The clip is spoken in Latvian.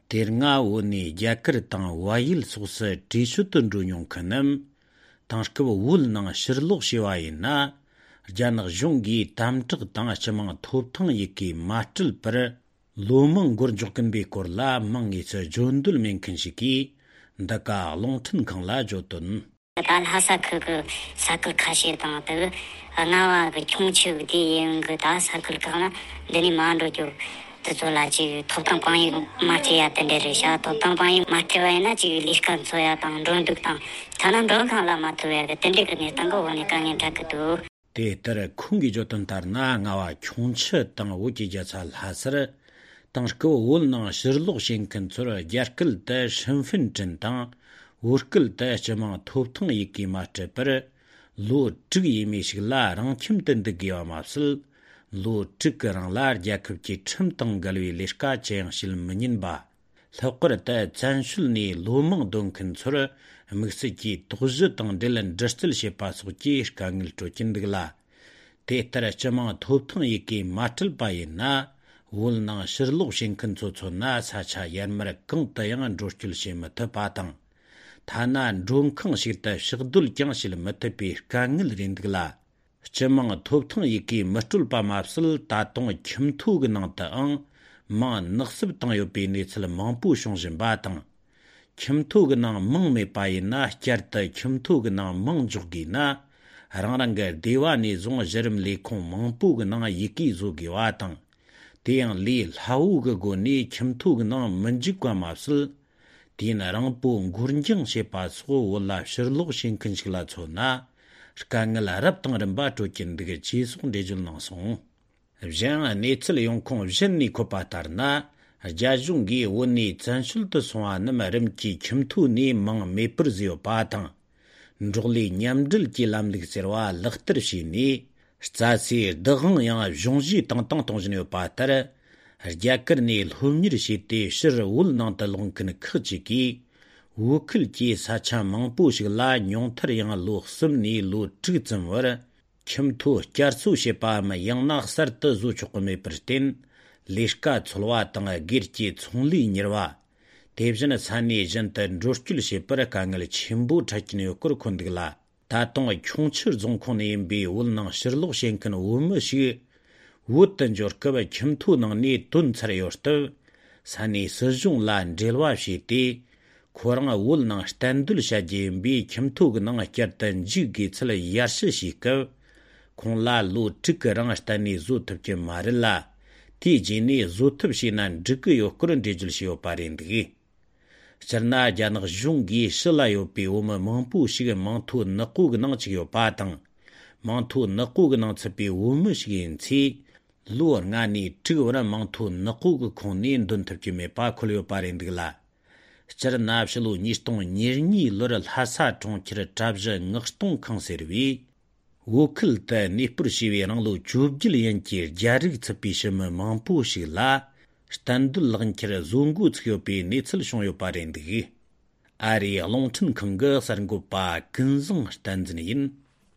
Ternga woni jakir tang wayil suksa tishutun runyong kanam, tangshkab wul nang shirluk shiwayin na, janag zhungi tamchig tang chamang thoptang yiki matril par lomang gurjukin bikur la mangi sa jondul menkin shiki, daka longtin kang la jotun. Dal hasa 그 사클 카시에다가 나와 그 총치우디 그 다 사클 가나 내니 만로죠 저라지 토탕방이 마티야 텐데르샤 토탕방이 마티와이나 지 리스칸 소야 당 론득당 타난 런칸라 마트웨 텐데그네 당고 오니까 년타크도 데터 쿵기 줬던 달나 나와 총치 땅 오지자 잘 하스르 당스고 올나 실록 신근 저러 야클데 신분증 당 Urkil da chama thopthang yiki matre par lo chig yimi shigla rang chimten de giwa mapsil lo chig rang lar jakub chi chimtang galwi lishka chayang shil minin ba thaqar da chanshul ni lomang donkin tsura miksi ki tughzi tang dilan drastil shepa suki shkangil chochin digla te tara chama thopthang yiki matril bayin na wul nang shirluk shinkin tsotso na sacha yanmara kong tayangan droshchil shema tapatang 타난 롱캉 시다 시그둘 짱실 마타피 강을 린드글라 쳔망 톱통 이기 마툴 바마슬 다동 김투그 나타앙 마 넉습 땅 요비 니슬 망부 숑진 바당 김투그 나 멍메 바이나 캬르타 김투그 나 멍죽기나 랑랑가 디와니 종 저름 리콩 망부그 나 이기 조기 와당 대양 리 하우그 고니 김투그 나 먼지과 마슬 Dina rangpo ngurnjing shepa sugo wala shirluk shinkinshikla chona, shkangil arab tang rinpa chokin diga chisung dejul nangsong. Vjang netsil yongkong vjinni kopatar na, jajungi wani zanshulta songa nama rimki kimtu ni mang mepir ziyo patang. Njugli nyamdil ki lamlik sirwa lakhtar shi ni, shtsasi dagang yang vjongji tang tongzhinyo patar, Jakir ni lhumnir shiti shir wul nang talongkin khchiki wukil ki sacha mangpu shigla nyongtar yang lu khsim ni lu chigzim war kimtu jarsu shepa ma yang na khsar ta zu chukme pristin lishka chulwa tang girchi chungli nirwa tebjana sani janta roshchul shepara kangal chimbu chakini yokur kondigla ta tong chungchir zongkong ni imbi wul nang shirluk shenkin wuma shi Wutan jorkaba kimtu nang ni tun tsarayortav, sani sirjung lan drilwa shiti, koranga wul nang standul shajimbi kimtu nang kyartan jigi tsala yarshi shikav, kong la lu tika rang stani zutabki marilla, ti jini zutab shi nan jika yokurun dijil shiyo parindigi. Charna janag zhungi shila yopi wama mangpu shiga mangtu naqug nang chiyo patang, mangtu naqug nang tsapi wama shigin tsi, Luar ngani tigwara mangtu naqug kongni dun tabki me pa kulyo parindigla. Chara nabshilu nishtong nirnyi lura lhasa chong kira chabzha ngakshtong kang servi. Wukil ta nipur shiwi ranglu chubjil yankir jarig tsapi shima mangpu shigla, standul lagan kira zungu tsikyo pi nitsil shongyo parindigi. Ari alongchin kanga sarangu pa kinzong standzini yin.